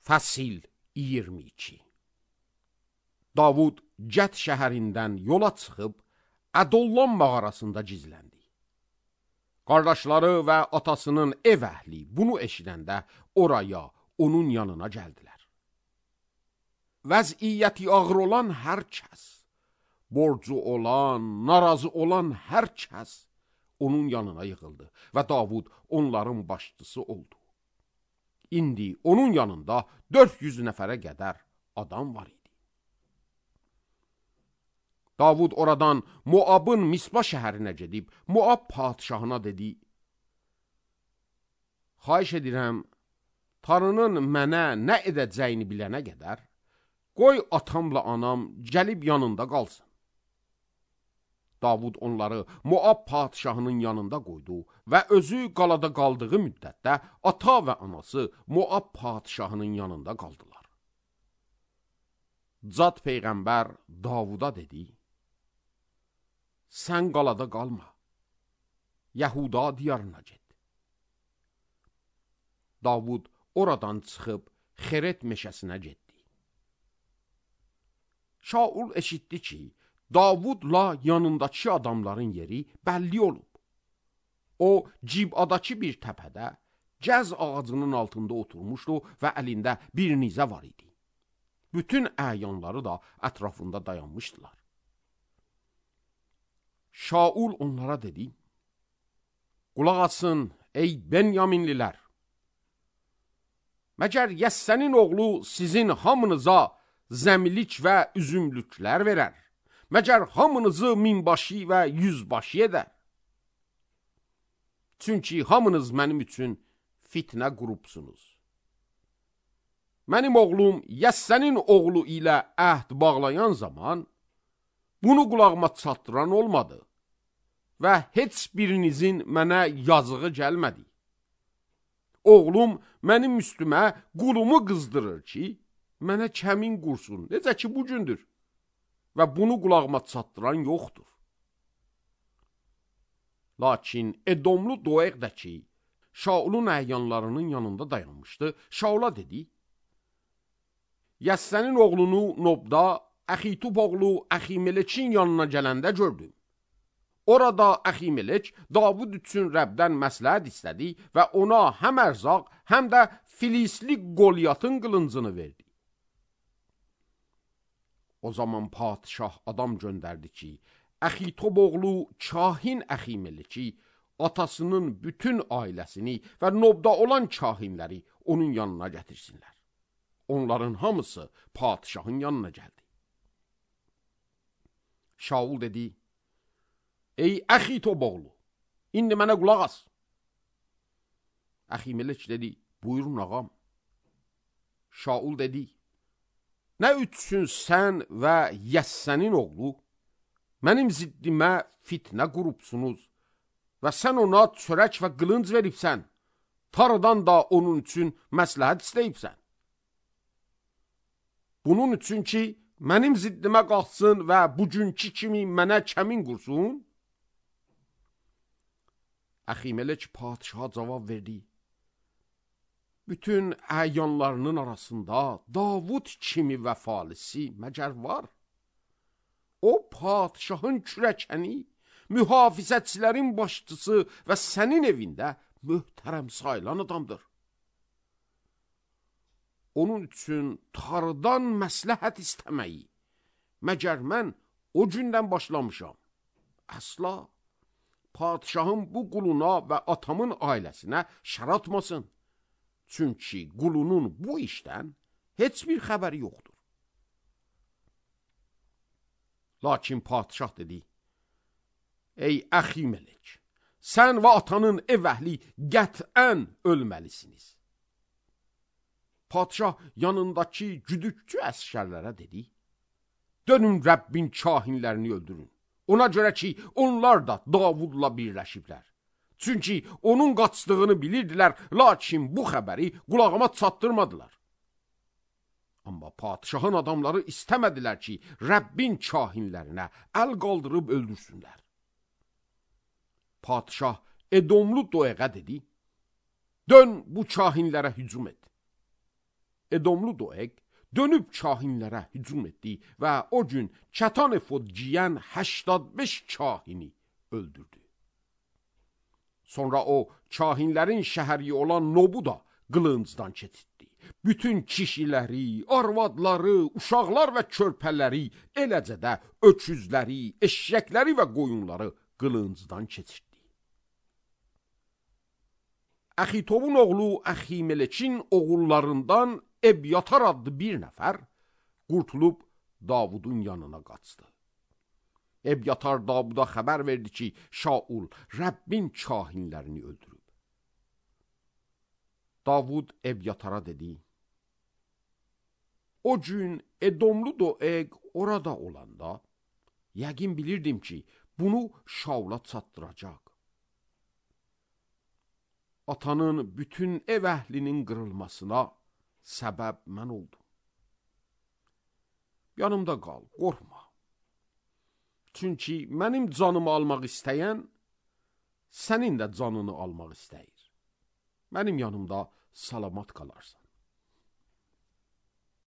Fəsil 22. Davud Cət şəhərindən yola çıxıb Ədollam mağarasında gizləndi. Qardaşları və atasının ev əhli bunu eşidəndə oraya, onun yanına gəldilər. Vəziyyəti ağır olan hər kəs, borcu olan, narazı olan hər kəs onun yanına yığıldı və Davud onların başçısı oldu. İndi onun yanında 400 nəfərə qədər adam var idi. Davud oradan Moabın Mispa şəhərinə gedib, Moab padişahına dedi: Xahiş edirəm, Tanrının mənə nə edəcəyini bilənə qədər, qoy atamla anam gəlib yanında qalsın. Davud onları Moab padişahının yanında qoydu və özü qalada qaldığı müddətdə ata və anası Moab padişahının yanında qaldılar. Cad peyğəmbər Davuda dedi: Sən qalada qalma, Yahuda diyarına get. Davud oradan çıxıb Xeret meşəsinə getdi. Şaul eşitdi ki, Davudla yanındakı adamların yeri bəlli olub. O, Cibadakı bir təpədə, gəz ağacının altında oturmuşdu və əlində bir nizə var idi. Bütün əyanları da ətrafında dayanmışdılar. Şaul onlara dedi: Qulaq asın, ey Benyaminlilər! Məgər Yəssənin oğlu sizin hamınıza zəmilik və üzümlüklər verər? Məgər hamınızı minbaşı və yüzbaşı edər? Çünki hamınız mənim üçün fitnə qurubsunuz. Mənim oğlum Yəssənin oğlu ilə əhd bağlayan zaman bunu qulağıma çatdıran olmadı və heç birinizin mənə yazığı gəlmədi. Oğlum mənim üstümə qulumu qızdırır ki, mənə kəmin qursun, necə ki bugündür. Və bunu qulağıma çatdıran yoxdur. Lakin Edomlu Doeq də ki, Şaulun əyanlarının yanında dayanmışdı, Şaula dedi: Yəssənin oğlunu Nobda, Əxitub oğlu Əximelekin yanına gələndə gördüm. Orada Əximelek Davud üçün Rəbdən məsləhət istədi və ona həm ərzaq, həm də Filistli Qolyatın qılıncını verdi. O zaman padişah adam göndərdi ki, Əxitob oğlu kahin Əximeleki, atasının bütün ailəsini və Nobda olan kahinləri onun yanına gətirsinlər. Onların hamısı padişahın yanına gəldi. Şaul dedi: Ey Əxitob oğlu, indi mənə qulaq as. Əximelek dedi: Buyurun ağam. Şaul dedi: Nə üçün sən və Yəssənin oğlu mənim ziddimə fitnə qurubsunuz və sən ona çörək və qılınc veribsən, Tanrıdan da onun üçün məsləhət istəyibsən. Bunun üçün ki, mənim ziddimə qalxsın və bugünkü kimi mənə kəmin qursun? Əximelek padişaha cavab verdi: Bütün əyanlarının arasında Davud kimi vəfalisi məgər var? O, padişahın kürəkəni, mühafizətçilərin başçısı və sənin evində möhtərəm sayılan adamdır. Onun üçün Tanrıdan məsləhət istəməyi, məgər mən o gündən başlamışam? Əsla, padişahın bu quluna və atamın ailəsinə şər atmasın. Çünki qulunun bu işdən heç bir xəbəri yoxdur. Lakin padişah dedi: Ey Əximelek, sən və atanın ev əhli qətən ölməlisiniz. Padişah yanındakı güdükçü əsgərlərə dedi: Dönün Rəbbin kahinlərini öldürün. Ona görə ki, onlar da Davudla birləşiblər. Çünki onun qaçdığını bilirdilər, lakin bu xəbəri qulağıma çatdırmadılar. Amma padişahın adamları istəmədilər ki, Rəbbin kahinlərinə əl qaldırıb öldürsünlər. Padişah Edomlu Doeqə dedi: Dön bu kahinlərə hücum et. Edomlu Doeg dönüb kahinlərə hücum etdi və o gün kətan efod giyən 85 kahini öldürdü. Sonra o kahinlərin şəhəri olan Nobu da qılıncdan keçirtdi. Bütün kişiləri, arvadları, uşaqlar və körpələri, eləcə də öküzləri, eşşəkləri və qoyunları qılıncdan keçirtdi. Əxitobun oğlu Əximelekin oğullarından Ebyatar adlı bir nəfər qurtulub Davudun yanına qaçdı. Ebyatar Davuda xəbər verdi ki, Şaul Rəbbin kahinlərini öldürüb. Davud Ebyatara dedi, o gün Edomlu Doeg orada olanda, yəqin bilirdim ki, bunu Şaula çatdıracaq. Atanın bütün ev əhlinin qırılmasına səbəb mən oldum. Yanımda qal, qorxma. Çünki mənim canımı almaq istəyən, sənin də canını almaq istəyir. Mənim yanımda salamat qalarsan.